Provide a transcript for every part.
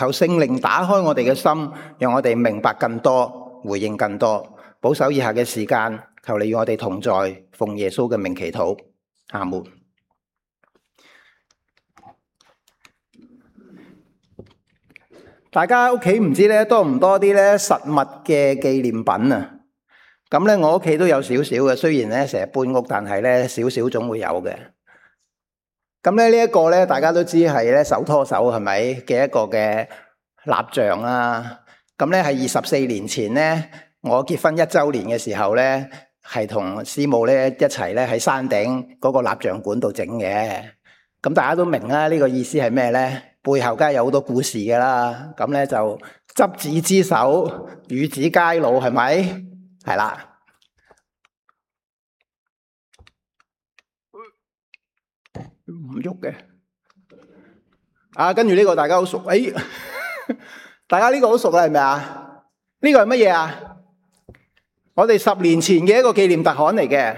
求聖靈打開我哋嘅心，讓我哋明白更多，回應更多。保守以下嘅時間，求你與我哋同在，奉耶穌嘅名祈禱，阿門。大家屋企唔知咧多唔多啲咧實物嘅紀念品啊？咁咧我屋企都有少少嘅，雖然咧成日搬屋，但係咧少少總會有嘅。咁咧呢一個咧大家都知係咧手拖手係咪嘅一個嘅蠟像啦？咁咧係24年前咧我結婚1週年嘅時候咧，係同師母咧一齊咧喺山頂嗰個蠟像館度整嘅。咁大家都明啦，呢個意思係咩咧？背後梗係有好多故事㗎啦。咁咧就執子之手，與子偕老，係咪？係啦。唔喐嘅。跟住呢個大家好熟。大家呢個好熟啦，係咪啊？呢個係乜嘢啊？我哋10年前嘅一個紀念特刊嚟嘅。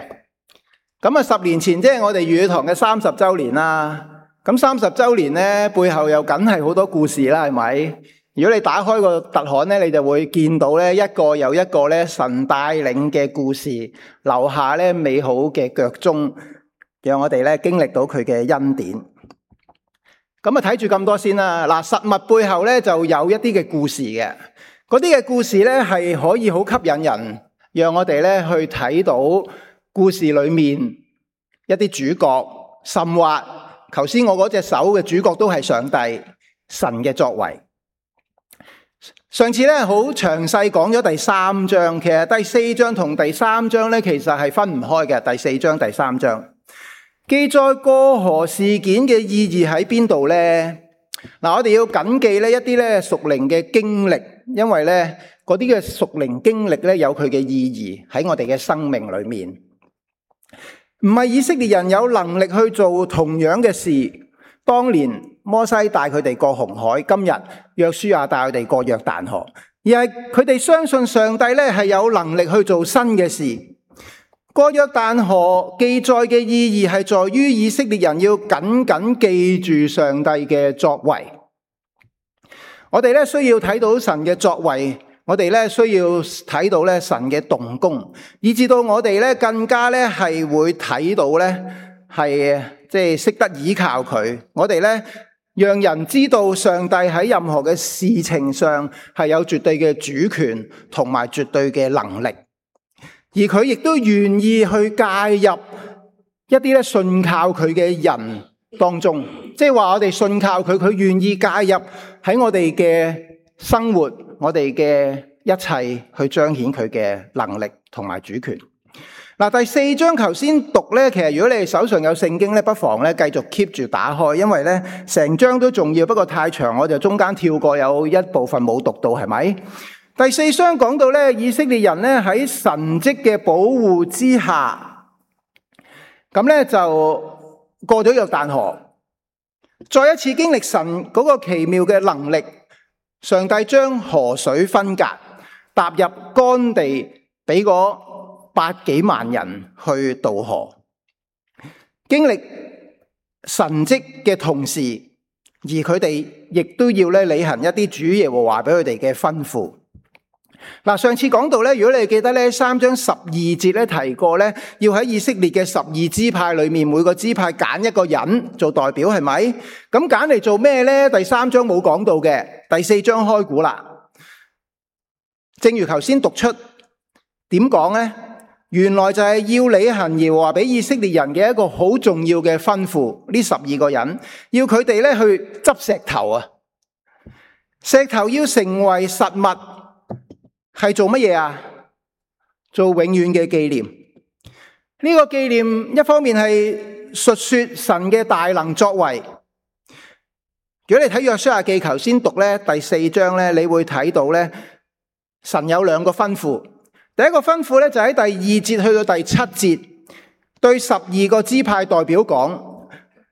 咁啊10年前即係我哋粵語堂嘅30週年啦。咁30週年咧，背後又梗係好多故事啦，係咪？如果你打開個特刊咧，你就會見到咧一個又一個咧神帶領嘅故事，留下咧美好嘅腳蹤，讓我哋咧經歷到佢嘅恩典。咁啊睇住咁多先啦。嗱，實物背後咧就有一啲嘅故事嘅，嗰啲嘅故事咧係可以好吸引人，讓我哋咧去睇到故事裏面一啲主角，甚或頭先我嗰隻手嘅主角都係上帝神嘅作為。上次咧好詳細講咗第3章，其實第4章同第3章咧其實係分唔開嘅。第4章、第3章記載過河事件嘅意義喺邊度呢？我哋要謹記呢一啲咧屬靈嘅經歷，因為咧嗰啲嘅屬靈經歷咧有佢嘅意義喺我哋嘅生命裏面。唔係以色列人有能力去做同樣嘅事，當年摩西帶佢哋過紅海，今日約書亞帶佢哋過約旦河，而係佢哋相信上帝咧係有能力去做新嘅事。過約旦河記載嘅意義係在於以色列人要緊緊記住上帝嘅作為。我哋咧需要睇到神嘅作為，我哋咧需要睇到咧神嘅動工，以至到我哋咧更加咧係會睇到咧係即係識得依靠佢。我哋咧讓人知道上帝喺任何嘅事情上係有絕對嘅主權同埋絕對嘅能力，而佢亦都願意去介入一啲咧信靠佢嘅人當中，即係話我哋信靠佢，佢願意介入喺我哋嘅生活，我哋嘅一切去彰顯佢嘅能力同埋主權。第4章頭先讀咧，其實如果你哋手上有聖經咧，不妨咧繼續 keep 住打開，因為咧成章都重要，不過太長，我就中間跳過，有一部分冇讀到，係咪？第4章講到咧，以色列人咧喺神蹟嘅保護之下，咁咧就過咗約旦河，再一次經歷神嗰個奇妙嘅能力。上帝將河水分隔，踏入乾地，俾嗰百幾萬人去渡河。經歷神蹟嘅同時，而佢哋亦都要咧履行一啲主耶和華俾佢哋嘅吩咐。上次講到咧，如果你記得咧3章12節咧提過咧，要喺以色列嘅12支派裏面，每個支派揀一個人做代表，係咪？咁揀嚟做咩咧？第3章冇講到嘅，第4章開估啦。正如頭先讀出，點講咧？原來就係要履行耶和華俾以色列人嘅一個好重要嘅吩咐。呢12個人要佢哋咧去執石頭啊！石頭要成為實物，係做乜嘢啊？做永遠嘅紀念。呢個紀念一方面係述說神嘅大能作為。如果你睇約書亞記頭先讀咧第4章咧，你會睇到咧神有2個吩咐。第一個吩咐咧就喺第2節去到第7節，對12個支派代表講，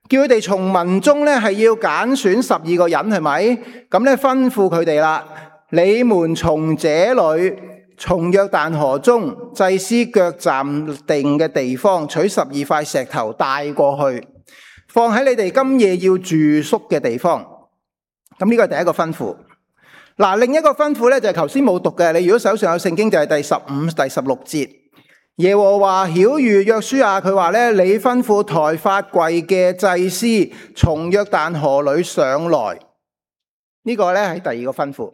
叫佢哋從民中咧係要揀選12個人，係咪？咁咧吩咐佢哋啦。你們從這裏，從約旦河中祭司腳站定嘅地方，取12塊石頭帶過去，放喺你哋今夜要住宿嘅地方。咁呢個係第一個吩咐。嗱，另一個吩咐咧就係頭先冇讀嘅，你如果手上有聖經就係第15、第16節。耶和華曉諭約書亞，佢話咧，你吩咐抬法櫃嘅祭司從約旦河裏上來。呢個咧係第二個吩咐。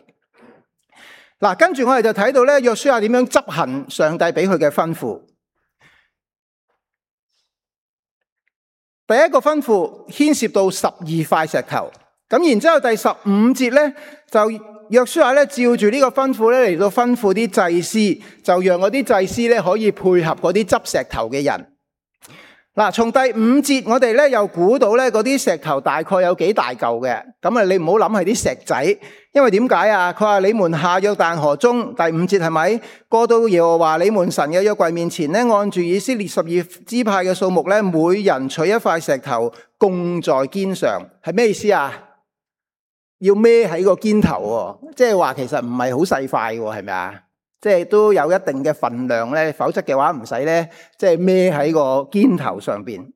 嗱，跟住我哋就睇到咧，約書亞點樣執行上帝俾佢嘅吩咐。第一個吩咐牽涉到12塊石頭，咁然之後第15節咧就約書亞咧照住呢個吩咐咧嚟到吩咐啲祭司，就讓嗰啲祭司咧可以配合嗰啲執石頭嘅人。嗱，從第5節我哋咧又估到咧嗰啲石頭大概有幾大嚿嘅，咁啊你唔好諗係啲石仔，因為點解啊？佢話你們下約旦河中，第5節係咪過到耶和華你們神嘅約櫃面前咧，按住以色列12支派嘅數目咧，每人取一塊石頭供在肩上，係咩意思啊？要孭喺個肩頭喎，即係話其實唔係好細塊喎，係咪啊？即係都有一定嘅份量咧，否則嘅話唔使咧，即係孭喺個肩頭上邊。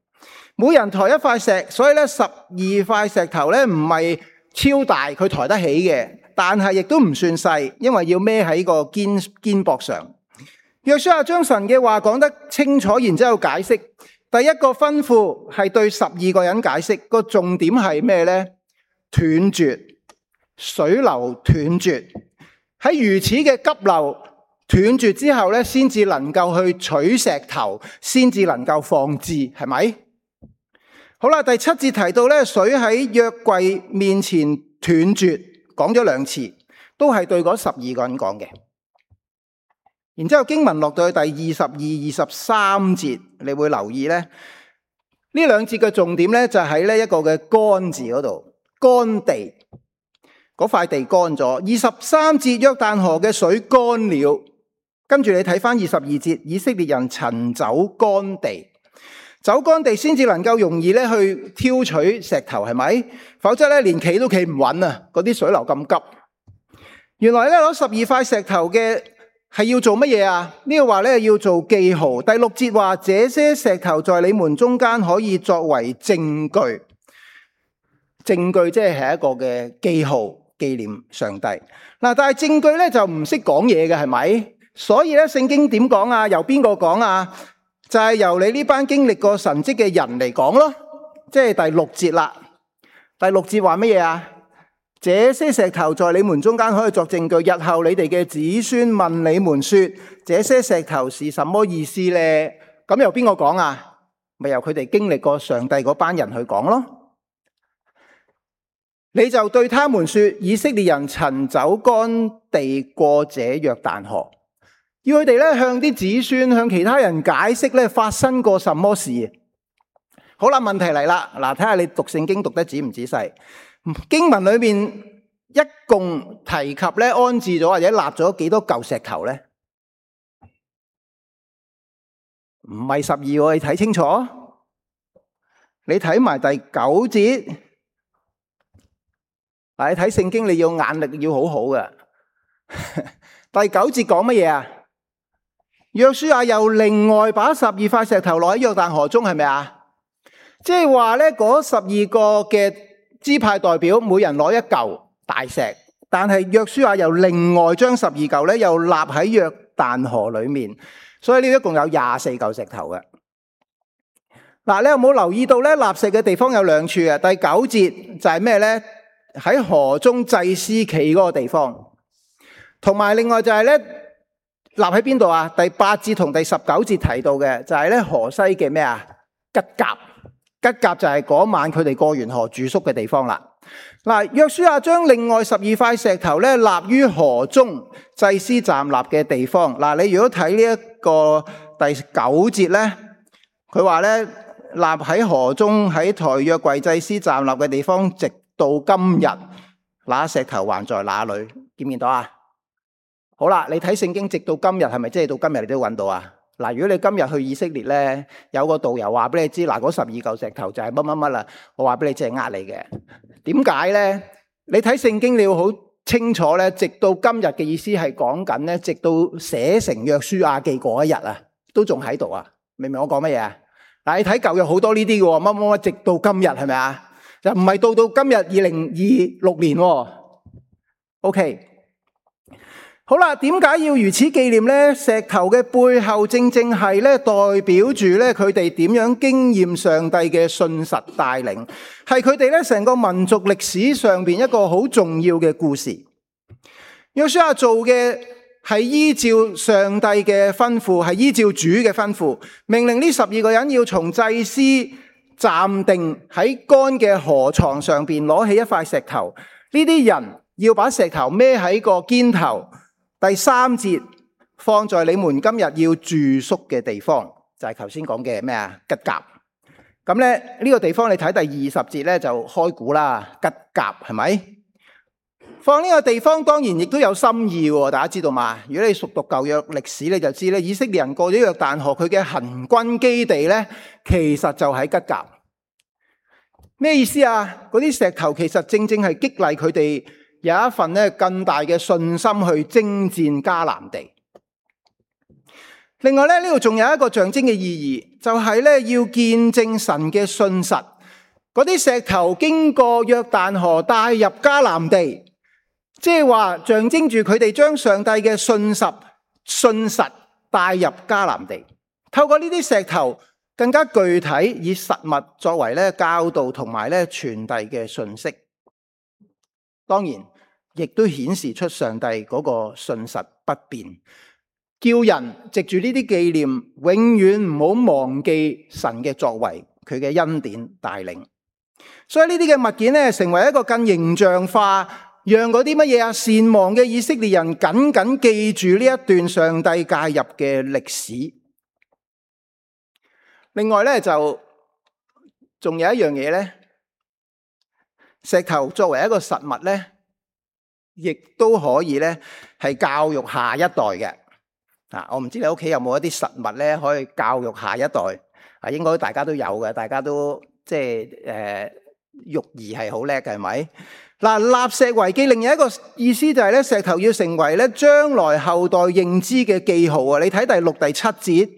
每人抬一塊石，所以咧12塊石頭咧唔係超大，佢抬得起嘅，但係亦都唔算細，因為要孭喺個肩膊上。約書亞將神嘅話講得清楚，然之後解釋。第一個吩咐係對12個人解釋，個重點係咩咧？斷絕，水流斷絕，喺如此嘅急流斷絕之後咧，先至能夠去取石頭，先至能夠放置，係咪？好啦，第7節提到咧，水喺約櫃面前斷絕，講咗2次，都係對嗰12個人講嘅。然之後經文落到去第22、23節，你會留意咧，呢2節嘅重點咧就喺呢一個嘅乾字嗰度，乾地，嗰塊地乾咗。23節約旦河嘅水乾了，跟住你睇翻22節，以色列人曾走乾地，走乾地先至能夠容易咧去挑取石頭，係咪？否則咧連企都企唔穩啊！嗰啲水流咁急。原來咧攞12塊石頭嘅係要做乜嘢啊？呢個話咧要做記號。第6節話，這些石頭在你們中間可以作為證據。證據即係一個嘅記號，紀念上帝。嗱，但係證據咧就唔識講嘢嘅，係咪？所以咧聖經點講啊？由邊個講啊？就係由你呢班經歷過神蹟嘅人嚟講咯。即係第6節啦。第6節話乜嘢啊？這些石頭在你們中間可以作證據，日後你哋嘅子孫問你們說，這些石頭是什麼意思呢？咁由邊個講啊？咪由佢哋經歷過上帝嗰班人去講咯。你就對他們說，以色列人曾走乾地過這約旦河，要佢哋咧向啲子孫向其他人解釋咧發生過什麼事。好啦，問題嚟啦，嗱，睇下你讀聖經讀得仔唔仔細。經文裏面一共提及咧安置咗或者立咗幾多嚿石頭咧？唔係12，你睇清楚。你睇埋第9節。嗱，你睇聖經你要眼力要好好嘅。第9節講乜嘢啊？約書亞又另外把12塊石頭落喺約旦河中，係咪啊？即係話咧，嗰12個嘅支派代表每人攞一嚿大石，但係約書亞又另外將12嚿咧又立喺約旦河裏面，所以呢一共有24嚿石頭嘅。嗱，你有冇留意到咧？立石嘅地方有2處啊。第9節就係咩咧？喺河中祭司企嗰個地方，同埋另外就係咧立喺邊度啊？第8節同第19節提到嘅就係咧河西嘅咩啊？吉甲。吉甲就係嗰晚佢哋過完河住宿嘅地方啦。嗱，約書亞將另外12塊石頭咧立於河中祭司站立嘅地方。嗱，你如果睇呢一個第9節咧，佢話咧立喺河中喺抬約櫃祭司站立嘅地方，直到今日，那石頭還在那裏，見唔見到啊？好啦，你睇聖經直到今日係咪即係到今日你都揾到啊？嗱，如果你今日去以色列咧，有個導遊話俾你知，嗱，嗰12嚿石頭就係乜乜乜啦，我話俾你知係呃你嘅。點解咧？你睇聖經你要好清楚咧，直到今日嘅意思係講緊咧，直到寫成約書亞記嗰一日啊，都仲喺度啊，明唔明我講乜嘢啊？嗱，你睇舊約好多呢啲嘅喎，乜乜乜直到今日係咪啊？就唔係到今日2026年喎。OK， 好啦，點解要如此紀念呢？石頭嘅背後正正係咧代表住咧佢哋點樣經驗上帝嘅信實帶領，係佢哋咧成個民族歷史上邊一個好重要嘅故事。約書亞做嘅係依照上帝嘅吩咐，係依照主嘅吩咐，命令呢12個人要從祭司站定喺乾嘅河床上邊攞起一塊石頭，呢啲人要把石頭孭喺個肩頭。第3節，放在你們今日要住宿嘅地方，就係頭先講嘅咩啊？吉甲。咁咧呢個地方你睇第20節咧就開估啦，吉甲係咪？放呢個地方當然亦都有心意喎，大家知道嘛？如果你熟讀舊約歷史，你就知咧，以色列人過咗約旦河，佢嘅行軍基地咧，其實就喺吉甲。咩意思啊？嗰啲石頭其實正正係激勵佢哋有一份咧更大嘅信心去征戰迦南地。另外咧，呢度仲有一個象徵嘅意義，就係咧要見證神嘅信實。嗰啲石頭經過約旦河帶入迦南地。即係話象徵住佢哋將上帝嘅信實帶入迦南地，透過呢啲石頭更加具體以實物作為咧教導同埋咧傳遞嘅信息。當然亦都顯示出上帝嗰個信實不變，叫人藉住呢啲紀念永遠唔好忘記神嘅作為，佢嘅恩典帶領。所以呢啲嘅物件咧成為一個更形象化，讓嗰啲乜嘢善忘嘅以色列人緊緊記住呢一段上帝介入嘅歷史。另外咧就仲有一樣嘢咧，石頭作為一個實物咧，亦都可以咧係教育下一代嘅。我唔知你屋企有冇一啲實物咧可以教育下一代。應該大家都有嘅，大家都即係育兒係好叻嘅，係咪？嗱，立石為記，另一個意思就係咧，石頭要成為咧將來後代認知嘅記號啊！你睇第6、第7節，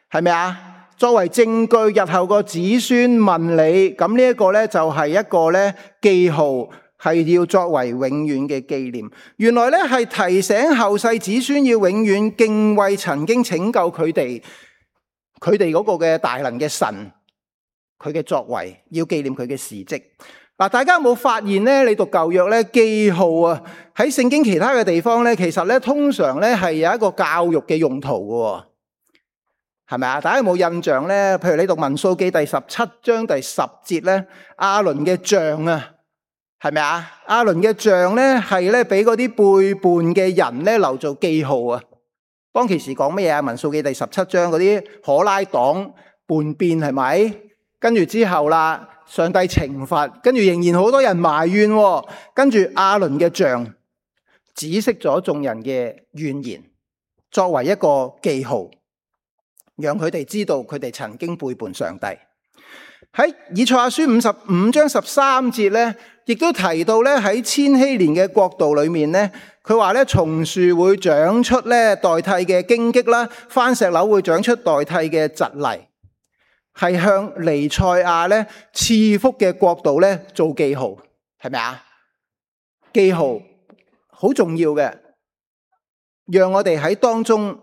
係咪啊？作為證據，日後個子孫問你，咁呢一個咧就係一個咧記號，係要作為永遠嘅紀念。原來咧係提醒後世子孫要永遠敬畏曾經拯救佢哋嗰個嘅大能嘅神，佢嘅作為，要紀念佢嘅事蹟。嗱，大家有冇發現咧？你讀舊約咧，記號啊，喺聖經其他嘅地方咧，其實咧通常咧係有一個教育嘅用途嘅，係咪啊？大家有冇印象咧？譬如你讀民數記第17章第10節咧，亞倫嘅杖啊，係咪啊？亞倫嘅杖咧係咧俾嗰啲背叛嘅人咧留做記號啊。當其時講乜嘢啊？民數記第17章嗰啲可拉黨叛變係咪？跟住之後啦。上帝懲罰，跟住仍然好多人埋怨，跟住亞倫嘅杖止息咗眾人嘅怨言，作為一個記號，讓佢哋知道佢哋曾經背叛上帝。喺以賽亞書55章13節咧，亦都提到咧喺千禧年嘅國度裏面咧，佢話咧松樹會長出咧代替嘅荊棘啦，番石榴會長出代替嘅蒺藜。係向彌賽亞咧賜福嘅國度咧做記號，係咪啊？記號好重要嘅，讓我哋喺當中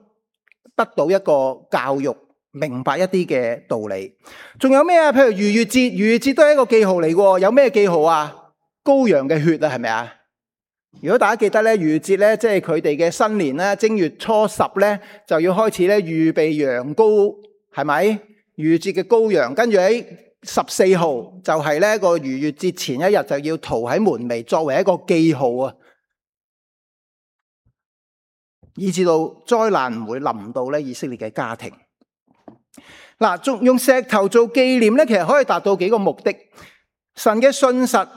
得到一個教育，明白一啲嘅道理。仲有咩啊？譬如逾越節，逾越節都係一個記號嚟嘅。有咩記號啊？羔羊嘅血啊，係咪啊？如果大家記得咧，逾越節咧，即係佢哋嘅新年咧，正月初10咧就要開始咧預備羊羔，係咪？逾越節嘅羔羊，跟住喺14號就係呢個逾越節前一日就要塗喺門楣，作為一個記號啊，以至到災難唔會臨到咧以色列嘅家庭。嗱，仲用石頭做紀念咧，其實可以達到幾個目的。神嘅信實，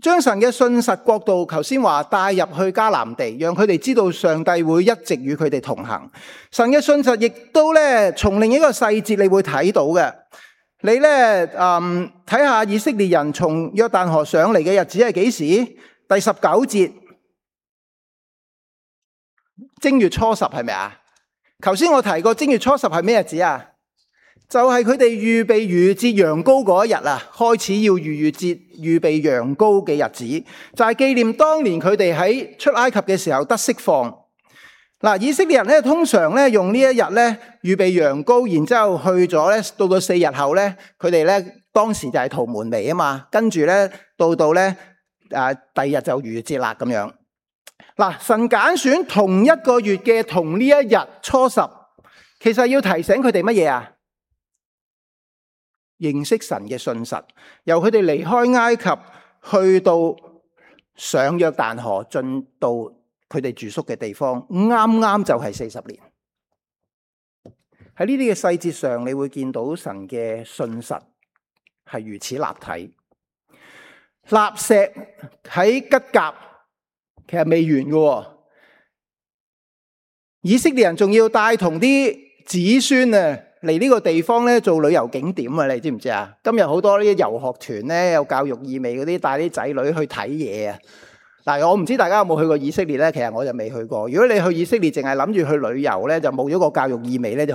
將神嘅信實國度，頭先話帶入去迦南地，讓佢哋知道上帝會一直與佢哋同行。神嘅信實亦都咧，從另一個細節你會睇到嘅。你咧睇下以色列人從約旦河上嚟嘅日子係幾時？第19節，正月初10係咪啊？頭先我提過正月初10係咩日子啊？就係佢哋預備逾越節羊羔嗰一日啊，開始要逾越節預備羊羔嘅日子，就係紀念當年佢哋喺出埃及嘅時候得釋放。嗱，以色列人咧通常咧用呢一日咧預備羊羔，然之後去咗咧，到4日後咧，佢哋咧當時就係屠門嚟啊嘛，跟住咧到咧第二日就逾越節啦咁樣。嗱，神揀選同一個月嘅同呢一日初十，其實要提醒佢哋乜嘢啊？認識神嘅信實，由佢哋離開埃及去到上約旦河，進到佢哋住宿嘅地方，啱啱就係40年。喺呢啲嘅細節上，你會見到神嘅信實係如此立體。立石喺吉甲其實未完嘅，以色列人仲要帶同啲子孫啊嚟呢個地方咧做旅遊景點啊！你知唔知啊？今日好多呢啲遊學團咧，有教育意味嗰啲，帶啲仔女去睇嘢啊！嗱，我唔知大家有冇去過以色列咧？其實我就未去過。如果你去以色列，淨係諗住去旅遊咧，就冇咗個教育意味咧，就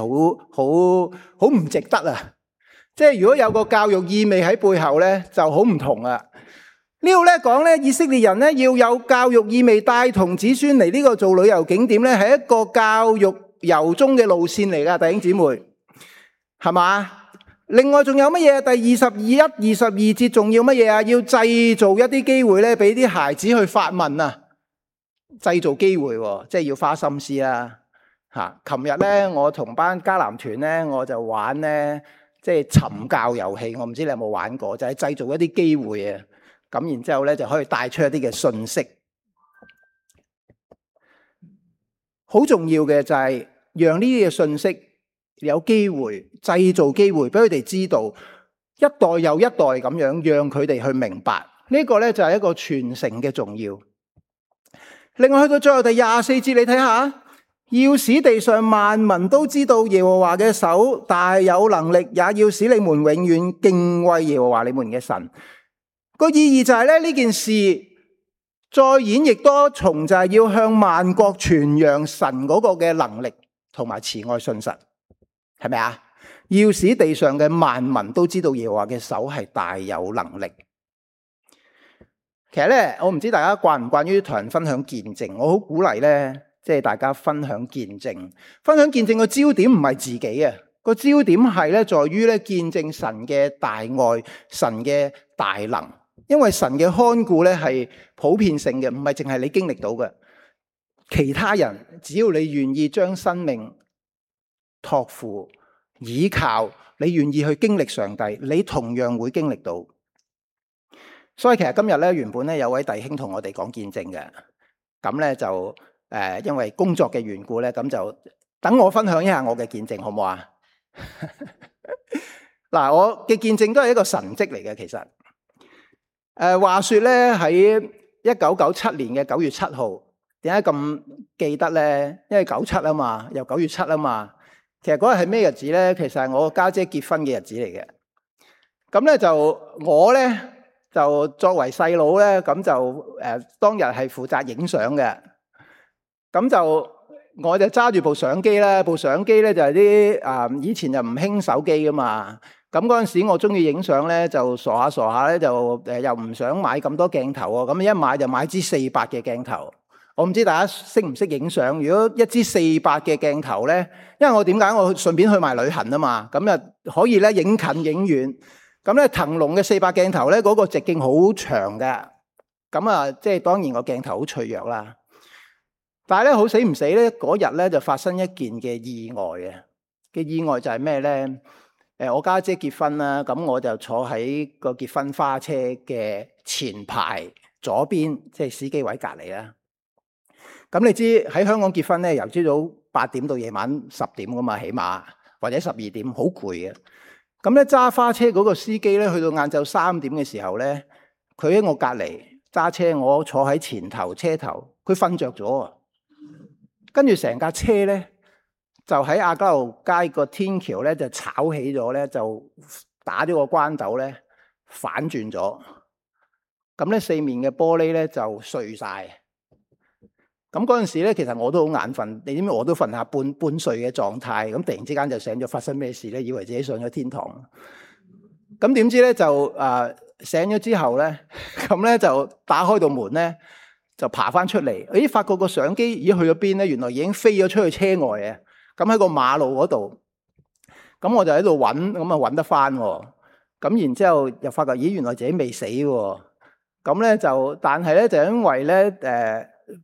好唔值得啊！即係如果有個教育意味喺背後咧，就好唔同啊！呢度咧講咧，以色列人咧要有教育意味，帶同子孫嚟呢個做旅遊景點咧，係一個教育由衷嘅路線嚟噶，弟兄姊妹，係嘛？另外仲有乜嘢？第21、22節仲要乜嘢啊？要製造一啲機會咧，俾啲孩子去發問啊！製造機會，即係要花心思啦。吓，琴日咧，我同班迦南團咧，我就玩咧，即係尋教遊戲。我唔知你有冇玩過，就係製造一啲機會啊！咁然之後咧，就可以帶出一啲嘅信息。好重要嘅就係讓呢啲嘅信息有機會，製造機會俾佢哋知道，一代又一代咁樣，讓佢哋去明白。呢個咧就係一個傳承嘅重要。另外去到最後第24節，你睇下，要使地上萬民都知道耶和華嘅手大有能力，也要使你們永遠敬畏耶和華你們嘅神。個意義就係咧，呢件事再演繹多重，就係要向萬國傳揚神嗰個嘅能力同埋慈愛信實，係咪啊？要使地上嘅萬民都知道耶和華嘅手係大有能力。其實咧，我唔知大家慣唔慣於同人分享見證，我好鼓勵咧，即係大家分享見證。分享見證個焦點唔係自己啊，個焦點係咧在於咧見證神嘅大愛，神嘅大能。因為神嘅看顧咧係普遍性嘅，唔係淨係你經歷到嘅。其他人只要你願意將生命託付、倚靠，你願意去經歷上帝，你同樣會經歷到。所以其實今日咧，原本咧有位弟兄同我哋講見證嘅，咁咧就因為工作嘅緣故咧，咁就等我分享一下我嘅見證，好唔好啊？嗱，我嘅見證都係一個神蹟嚟嘅，其實。話說咧喺1997年嘅9月7號，點解咁記得咧？因為97啊嘛，又9月7啊嘛。其實嗰日係咩日子咧？其實係我家姐結婚嘅日子嚟嘅。咁咧就我咧就作為細佬咧，咁就當日係負責影相嘅。咁就我就揸住部相機啦，部相機咧就係啲以前就唔興手機噶嘛。咁嗰陣時我中意影相咧，就傻下咧，就又唔想買咁多鏡頭喎。咁一買就買支400嘅鏡頭。我唔知大家識唔識影相？如果一支400嘅鏡頭咧，因為我點解我順便去埋旅行啊嘛，咁啊可以咧影近影遠。咁咧騰龍嘅400鏡頭咧，嗰個直徑好長嘅。咁啊，即係當然個鏡頭好脆弱啦。但係咧好死唔死咧，嗰日咧就發生一件嘅意外嘅意外就係咩咧？我家姐結婚啦，咁我就坐喺個結婚花車嘅前排左邊，即係司機位隔離啦。咁你知喺香港結婚咧，由朝早8點到夜晚10點噶嘛，起碼或者12點，好攰嘅。咁咧揸花車嗰個司機咧，去到晏晝3點嘅時候咧，佢喺我隔離揸車，我坐喺前頭車頭，佢瞓着咗，跟住成架車咧。就喺亞皆老街個天橋咧，就炒起咗咧，就打咗個關斗咧，反轉咗。咁咧四面嘅玻璃咧就碎晒。咁嗰陣時咧，其實我都好眼瞓，你知唔知我都瞓下半睡嘅狀態，咁突然之間就醒咗，發生咩事咧？以為自己上咗天堂。咁點知咧就醒咗之後咧，咁咧就打開道門咧，就爬翻出嚟。咦，發覺個相機已經去咗邊咧？原來已經飛咗出去車外啊！咁喺個馬路嗰度，咁我就喺度揾，咁啊揾得翻喎。咁然之後又發覺，咦，原來自己未死喎。咁咧就，但係咧就因為咧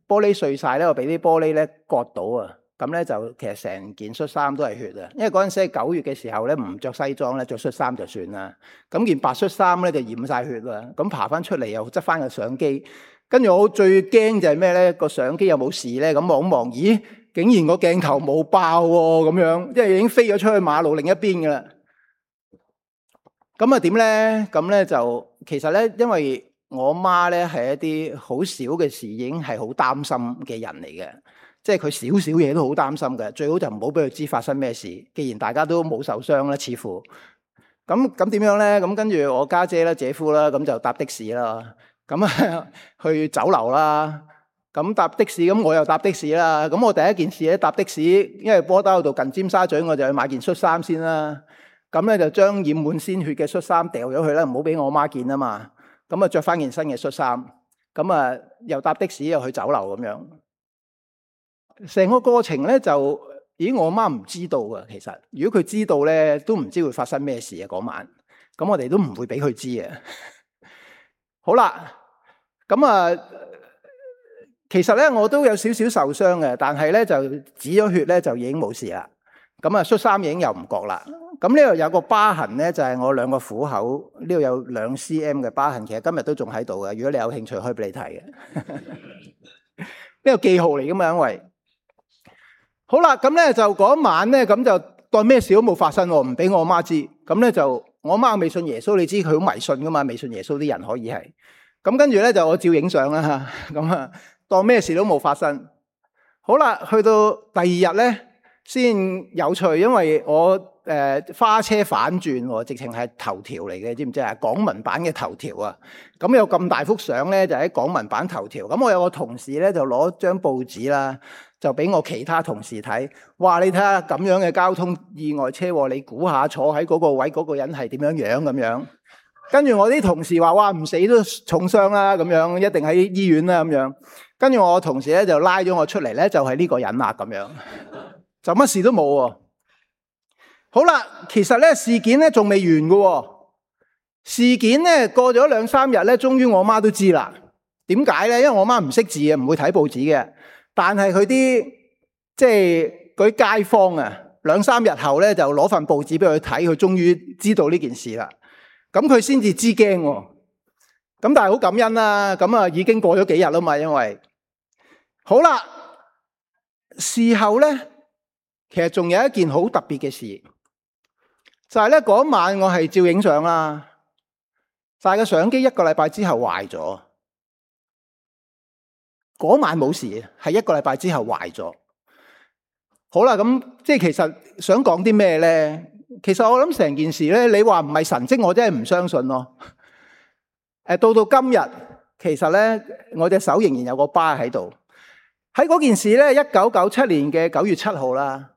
玻璃碎晒咧，我俾啲玻璃咧割到啊！咁咧就其實成件恤衫都係血啊！因為嗰陣時係9月嘅時候咧，唔着西裝咧，着恤衫就算啦。咁件白恤衫咧就染晒血啦。咁爬翻出嚟又執翻個相機，跟住我最驚就係咩咧？個相機有冇事咧？咁望一望，咦，竟然個鏡頭冇爆喎！咁樣，因為已經飛咗出去馬路另一邊噶啦。咁啊點咧？咁咧就其實咧，因為我媽咧係一啲好少嘅事已經係好擔心嘅人嚟嘅，即係佢少少嘢都好擔心嘅，最好就唔好俾佢知發生咩事。既然大家都冇受傷啦，似乎咁點樣咧？咁跟住我家姐啦、姐夫啦，咁就搭的士啦，咁啊去酒樓啦。咁搭的士，咁我又搭的士啦。咁我第一件事咧搭的士，因為波打嗰度近尖沙咀，我就去買件恤衫先啦。咁咧就將染滿鮮血嘅恤衫掉咗去啦，唔好俾我媽見啊嘛。咁啊，着翻件新嘅恤衫，咁啊，又搭的士又去酒樓咁樣，成個過程咧就，我媽唔知道啊。其實，如果佢知道咧，都唔知會發生咩事啊嗰晚。咁我哋都唔會俾佢知啊。好啦，咁啊，其實咧我都有少少受傷嘅，但係咧就止咗血咧就已經冇事啦。咁啊，恤衫已經又唔覺啦。咁呢度有個疤痕咧，就係我兩個虎口呢度有2 cm 嘅疤痕，其實今日都仲喺度嘅。如果你有興趣，可以俾你睇嘅。呢個記號嚟噶嘛，因為好啦，咁咧就嗰晚咧，咁就當咩事都冇發生，唔俾我媽知。咁咧就我媽未信耶穌，你知佢好迷信噶嘛？未信耶穌啲人可以係咁，跟住咧就我照影相啦吓，咁啊當咩事都冇發生。好啦，去到第二日咧先有趣，因為我。花車反轉，直情係頭條嚟嘅，知唔知啊？港聞版嘅頭條啊，咁有咁大幅相咧，就喺港聞版頭條。咁我有個同事咧，就攞張報紙啦，就俾我其他同事睇。哇！你睇下咁樣嘅交通意外車禍，你估下坐喺嗰個位嗰個人係點樣樣咁樣？跟住我啲同事話：哇，唔死都重傷啦，咁樣一定喺醫院啦，咁樣。跟住我同事咧就拉咗我出嚟咧，就係呢個人啦，咁樣就乜事都冇喎。好啦，其實咧事件咧仲未完嘅，事件咧過咗2、3日咧，終於我媽都知啦。點解咧？因為我媽唔識字啊，唔會睇報紙嘅。但係佢啲即係嗰啲街坊啊，2、3日後咧就攞份報紙俾佢睇，佢終於知道呢件事啦。咁佢先至知驚。咁但係好感恩啦。咁啊已經過咗幾日啦嘛，因為好啦，事後咧其實仲有一件好特別嘅事。就係咧嗰晚我係照影相啦，但係個相機1個禮拜之後壞咗。嗰晚冇事，係1個禮拜之後壞咗。好啦，咁即係其實想講啲咩咧？其實我諗成件事咧，你話唔係神蹟，我真係唔相信咯。到今日，其實咧我隻手仍然有個疤喺度。喺嗰件事咧，1997年嘅9月7號啦。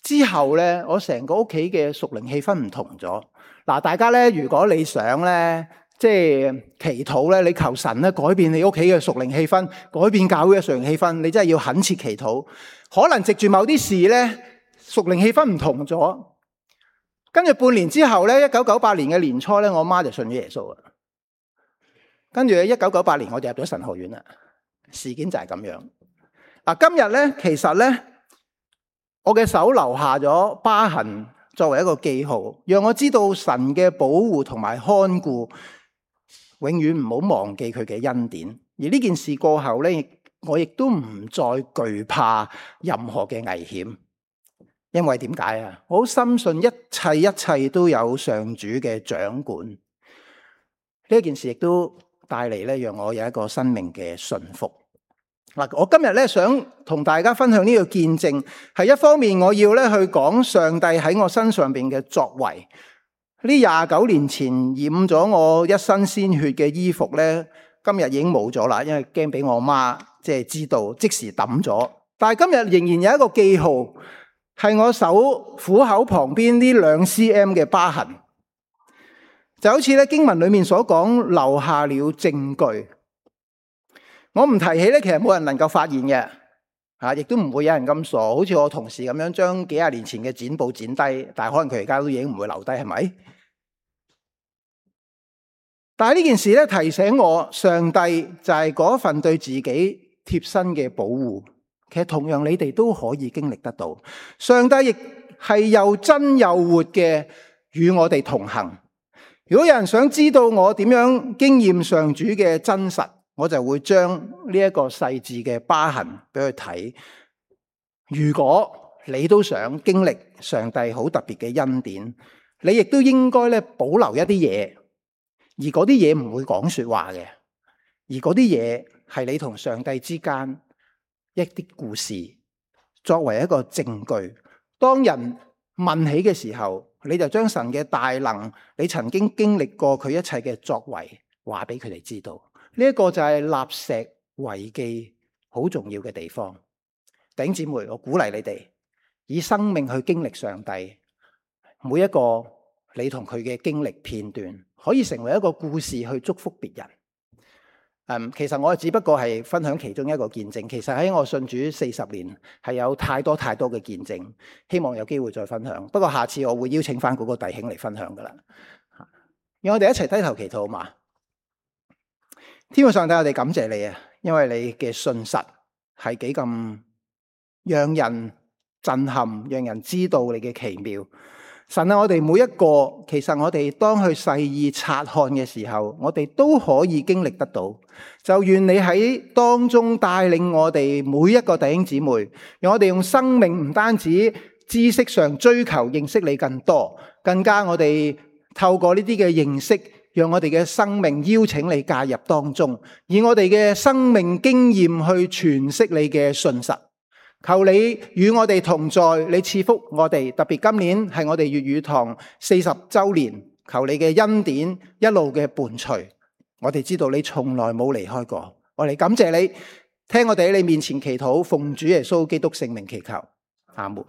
之後咧，我成個屋企嘅屬靈氣氛唔同咗。嗱，大家咧，如果你想咧，即係祈禱咧，你求神咧改變你屋企嘅屬靈氣氛，改變教會嘅屬靈氣氛，你真係要懇切祈禱。可能藉住某啲事咧，屬靈氣氛唔同咗。跟住半年之後咧，1998年嘅年初咧，我媽就信咗耶穌啦。跟住1998年我就入咗神學院啦。事件就係咁樣。嗱，今日咧，其實咧。我嘅手留下咗疤痕，作為一個記號，讓我知道神嘅保護同埋看顧，永遠唔好忘記佢嘅恩典。而呢件事過後咧，我亦都唔再懼怕任何嘅危險，因為點解啊？我好深信一切都有上主嘅掌管。呢件事亦都帶嚟咧，讓我有一個生命嘅順服。嗱，我今日咧想同大家分享呢個見證，係一方面我要咧去講上帝喺我身上邊嘅作為。呢29年前染咗我一身鮮血嘅衣服咧，今日已經冇咗啦，因為驚俾我媽即係知道，即時抌咗。但係今日仍然有一個記號，係我手虎口旁邊呢2 cm 嘅疤痕，就好似咧經文裏面所講，留下了證據。我唔提起咧，其實冇人能夠發現嘅，亦都唔會有人咁傻，好似我同事咁樣將幾廿年前嘅剪報剪低，但係可能佢而家都已經唔會留低，係咪？但係呢件事咧提醒我，上帝就係嗰份對自己貼身嘅保護。其實同樣你哋都可以經歷得到，上帝亦係又真又活嘅與我哋同行。如果有人想知道我點樣經驗上主嘅真實，我就會將呢一個細緻嘅疤痕俾佢睇。如果你都想經歷上帝好特別嘅恩典，你亦都應該咧保留一啲嘢，而嗰啲嘢唔會講說話嘅，而嗰啲嘢係你同上帝之間一啲故事，作為一個證據。當人問起嘅時候，你就將神嘅大能，你曾經經歷過佢一切嘅作為，話俾佢哋知道。呢一個就係立石為記好重要嘅地方。弟兄姊妹，我鼓勵你哋以生命去經歷上帝，每一個你同佢嘅經歷片段，可以成為一個故事去祝福別人。其實我只不過係分享其中一個見證。其實喺我信主40年，係有太多嘅見證，希望有機會再分享。不過下次我會邀請翻嗰個弟兄嚟分享噶啦。讓我哋一齊低頭祈禱好嘛？天父上帝，我哋感謝你啊，因為你嘅信實係幾咁讓人震撼，讓人知道你嘅奇妙。神啊，我哋每一個，其實我哋當去細意察看嘅時候，我哋都可以經歷得到。就願你喺當中帶領我哋每一個弟兄姊妹，讓我哋用生命唔單止知識上追求認識你更多，更加我哋透過呢啲嘅認識，讓我哋嘅生命邀請你介入當中，以我哋嘅生命經驗去詮釋你嘅信實。求你與我哋同在，你賜福我哋，特別今年係我哋粵語堂40周年，求你嘅恩典一路嘅伴隨。我哋知道你從來冇離開過，我哋感謝你，聽我哋喺你面前祈禱，奉主耶穌基督聖名祈求，阿門。